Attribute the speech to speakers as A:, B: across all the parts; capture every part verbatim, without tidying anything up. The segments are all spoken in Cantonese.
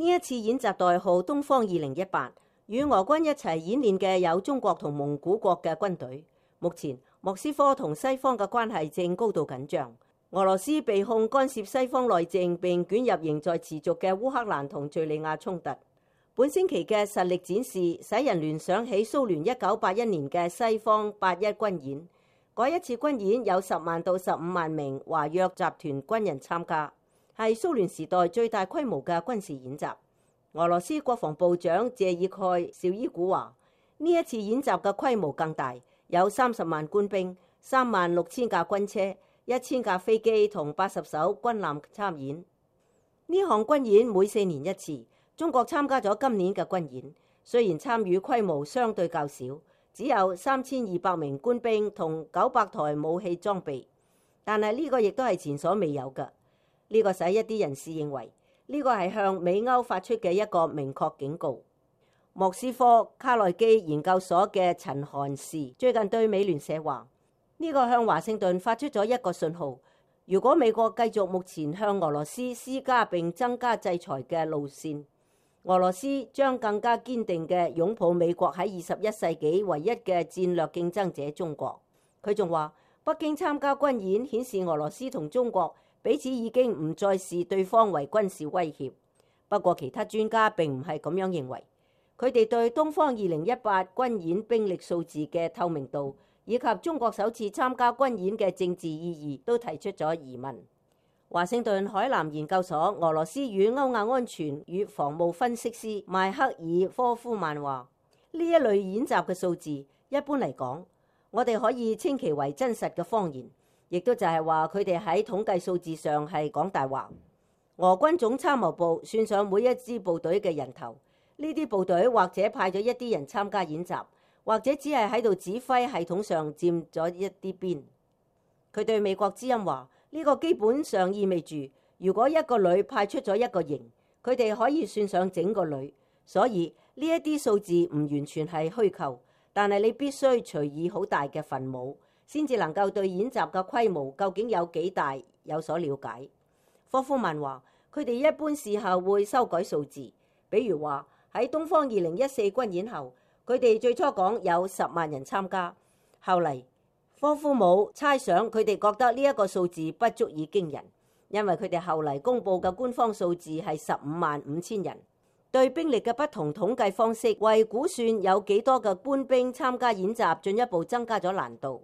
A: 呢一次演習代號東方二零一八，與俄軍一齊演練嘅有中國同蒙古國嘅軍隊。目前莫斯科同西方嘅關係正高度緊張，俄羅斯被控干涉西方內政並捲入仍在持續嘅烏克蘭同敘利亞衝突。本星期嘅實力展示使人聯想起蘇聯一九八一年嘅西方八一軍演。嗰一次軍演有十萬到十五萬名華約集團軍人參加，係蘇聯時代最大規模嘅軍事演習。俄羅斯國防部長謝爾蓋紹伊古話：呢一次演習嘅規模更大，有三十萬官兵、三萬六千架軍車、一千架飛機同八十艘軍艦參演。呢項軍演每四年一次，中國參加咗今年嘅軍演，雖然參與規模相對較少，只有三千二百名官兵同九百台武器裝備，但係呢個亦都係前所未有嘅。呢個使一啲人士認為呢個係向美歐發出嘅一個明確警告。莫斯科卡內基研究所嘅陳韓士最近對美聯社話：呢個向華盛頓發出咗一個信號，如果美國繼續目前向俄羅斯施加並增加制裁嘅路線，俄羅斯將更加堅定嘅擁抱美國喺二十一世紀唯一嘅戰略競爭者中國。佢仲話：北京參加軍演顯示俄羅斯同中國彼此已經唔再視對方為軍事威脅。不過其他專家並唔係咁樣認為，佢哋對東方二零一八軍演兵力數字嘅透明度以及中國首次參加軍演嘅政治意義都提出咗疑問。華盛頓海南研究所俄羅斯與歐亞安全與防務分析師邁克爾科夫曼話：呢一類演習嘅數字一般嚟講，我哋可以稱其為真實嘅謊言，亦都就係話佢哋喺統計數字上係講大話。俄軍總參謀部算上每一支部隊嘅人頭，呢啲部隊或者派咗一啲人參加演習，或者只係喺度指揮系統上佔咗一啲邊。佢對美國之音話：呢個基本上意味住，如果一個旅派出咗一個營，佢哋可以算上整個旅。所以呢一啲數字唔完全係虛構，但係你必須除以好大嘅分母，先至能夠對演習嘅規模究竟有幾大有所了解。科夫曼話：佢哋一般事後會修改數字，比如話喺東方二零一四軍演後，佢哋最初講有十萬人參加，後嚟科夫姆猜想佢哋覺得呢一個數字不足以驚人，因為佢哋後嚟公佈嘅官方數字係十五萬五千人。對兵力嘅不同統計方式，為估算有幾多嘅官兵參加演習進一步增加咗難度。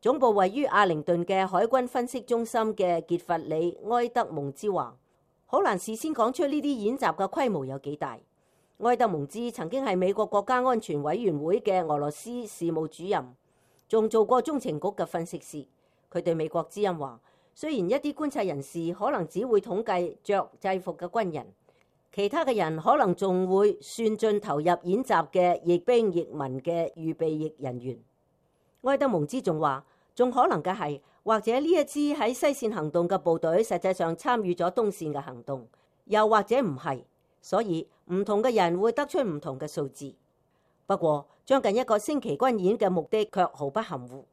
A: 總部位於阿靈頓嘅海軍分析中心嘅傑弗里埃德蒙茲話：好難事先講出呢啲演習嘅規模有幾大。埃德蒙茲曾經係美國國家安全委員會嘅俄羅斯事務主任，仲做過中情局嘅分析師。佢對美國之音話：雖然一啲觀察人士可能只會統計着制服嘅軍人，其他嘅人可能仲會算進投入演習嘅役兵役民嘅預備役人員。埃德蒙茲仲話：仲可能嘅係，或者呢一支喺西線行動嘅部隊實際上參與咗東線嘅行動，又或者唔係。所以唔同嘅人會得出唔同嘅數字。不過將近一個星期軍演嘅目的卻毫不含糊。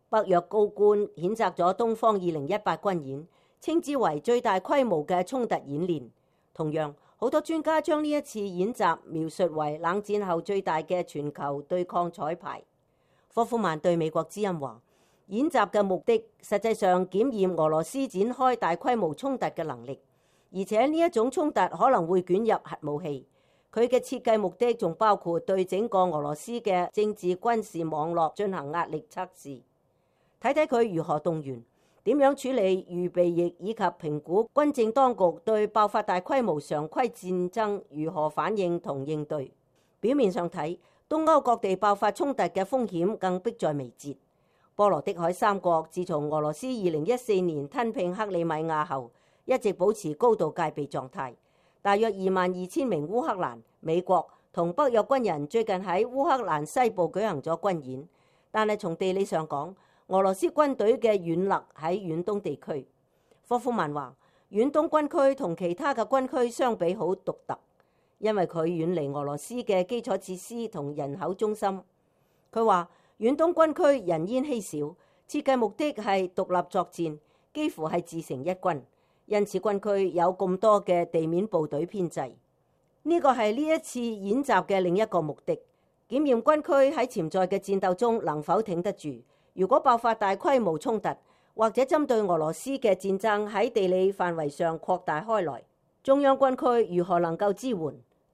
A: 北約高官譴責咗東方二零一八軍演，稱之為最大規模嘅衝突演練。同樣，好多專家將呢一次演習描述為冷戰後最大嘅全球對抗彩排。科夫曼對美國之音話：演習嘅目的實際上檢驗俄羅斯展開大規模衝突嘅能力，而且呢一種衝突可能會捲入核武器。佢嘅設計目的仲包括對整個俄羅斯嘅政治軍事網絡進行壓力測試，睇睇佢如何動員，點樣處理預備役，以及評估軍政當局對爆發大規模常規戰爭如何反應同應對。表面上睇，東歐各地爆發衝突嘅風險更迫在眉睫。波羅的海三國自從俄羅斯二零一四年吞併克里米亞後，一直保持高度戒備狀態。大約二萬二千名烏克蘭、美國同北約軍人最近喺烏克蘭西部舉行咗軍演，但係從地理上講，俄羅斯軍隊嘅軟肋喺遠東地區。科夫曼話：遠東軍區同其他嘅軍區相比好獨特，因為佢遠離俄羅斯嘅基礎設施同人口中心。佢話遠東軍區人煙稀少，設計目的係獨立作戰，幾乎係自成一軍。因此軍區有咁多嘅地面部隊編制。呢個係呢一次演習嘅另一個目的，檢驗軍區喺潛在嘅戰鬥中能否挺得住。如果爆發大規模衝突，或者針對俄羅斯嘅戰爭喺地理範圍上擴大開來，中央軍區如何能夠支援？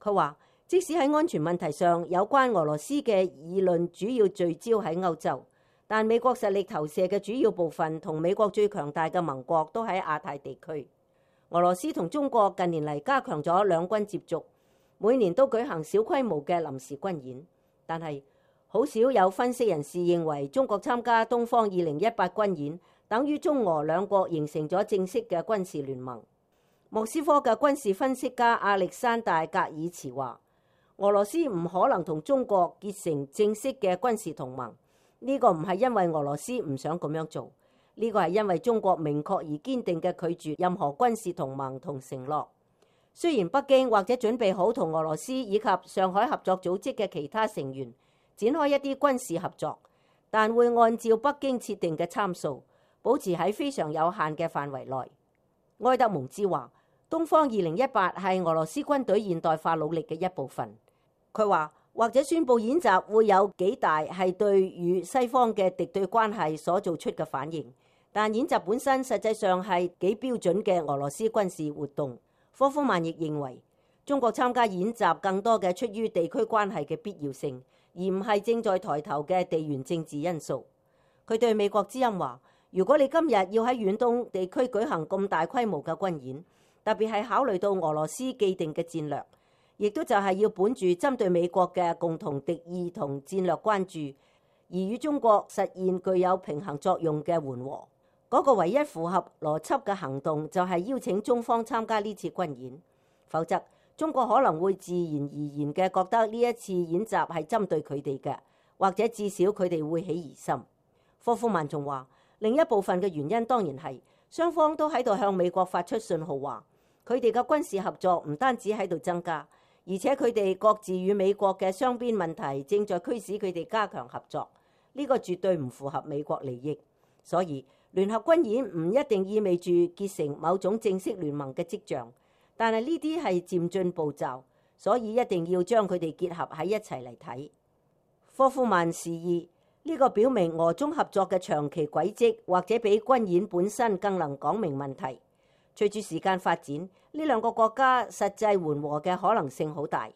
A: 佢話，即使喺安全問題上有關俄羅斯嘅議論主要聚焦喺歐洲，但美國實力投射嘅主要部分同美國最強大嘅盟國都喺亞太地區。俄羅斯同中國近年嚟加強咗兩軍接觸，每年都舉行小規模嘅臨時軍演，但係好少有分析人士認為中國參加東方二零一八軍演等於中俄兩國形成咗正式嘅軍事聯盟。莫斯科嘅軍事分析家亞歷山大格爾茨話，俄羅斯唔可能同中國結成正式嘅軍事同盟，呢個唔係因為俄羅斯唔想咁樣做，呢個係因為中國明確而堅定嘅拒絕任何軍事同盟同承諾。雖然北京或者準備好同俄羅斯以及上海合作組織嘅其他成員展開一啲軍事合作，但會按照北京設定嘅參數，保持喺非常有限嘅範圍內。埃德蒙茲話，東方二零一八係俄羅斯軍隊現代化努力嘅一部分。佢話，或者宣佈演習會有幾大係對與西方嘅敵對關係所做出嘅反應，但演習本身實際上係幾標準嘅俄羅斯軍事活動。科夫曼亦認為，中國參加演習更多嘅出於地區關係嘅必要性，而唔係正在抬頭嘅地緣政治因素。佢對美國之音話，如果你今日要喺遠東地區舉行咁大規模嘅軍演，特別係考慮到俄羅斯既定嘅戰略，亦都就係要本住針對美國嘅共同敵意同戰略關注，而與中國實現具有平衡作用嘅緩和。嗰個唯一符合邏輯嘅行動就係邀請中方參加呢次軍演，否則中國可能會自然而然嘅覺得呢一次演習係針對佢哋嘅，或者至少佢哋會起疑心。科夫曼仲話，另一部分嘅原因當然係雙方都喺度向美國發出信號，話佢哋嘅軍事合作唔單止喺度增加，而且佢哋各自與美國嘅雙邊問題正在驅使佢哋加強合作。呢個絕對唔符合美國利益，所以聯合軍演唔一定意味住結成某種正式聯盟嘅跡象，但係呢啲係漸進步驟，所以一定要將佢哋結合喺一齊嚟睇。科夫曼示意呢個表明俄中合作嘅長期軌跡，或者比軍演本身更能講明問題。隨住時間發展，呢兩個國家實際緩和嘅可能性好大。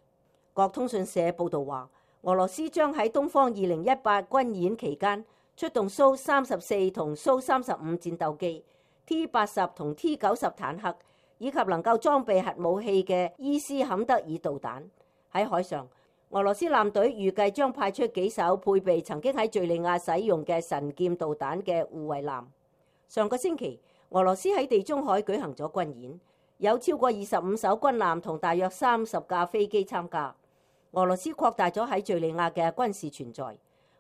A: 國通訊社報導話，俄羅斯將喺東方二零一八軍演期間出動蘇三十四同蘇三十五戰鬥機、T 八十同 T 九十坦克，以及能夠裝備核武器嘅伊斯坎德爾導彈。喺海上，俄羅斯艦隊預計將派出幾艘配備曾經喺敘利亞使用嘅神劍導彈嘅護衛艦。上個星期，俄羅斯喺地中海舉行咗軍演，有超過二十五艘軍艦同大約三十架飛機參加。俄羅斯擴大咗喺敘利亞嘅軍事存在。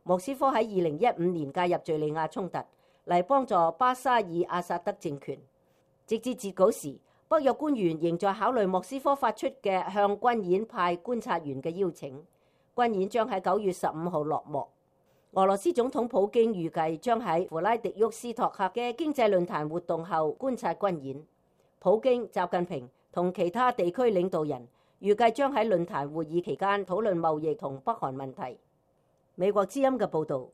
A: 莫斯科喺二零一五年介入敘利亞衝突，嚟幫助巴沙爾阿薩德政權。直至截稿時，北約官員仍在考慮莫斯科發出嘅向軍演派觀察員嘅邀請。軍演將喺九月十五號落幕。俄羅斯總統普京預計將喺弗拉迪沃斯托克嘅經濟論壇活動後觀察軍演。普京、習近平同其他地區領導人預計將喺論壇會議期間討論貿易同北韓問題。美國之音嘅報導，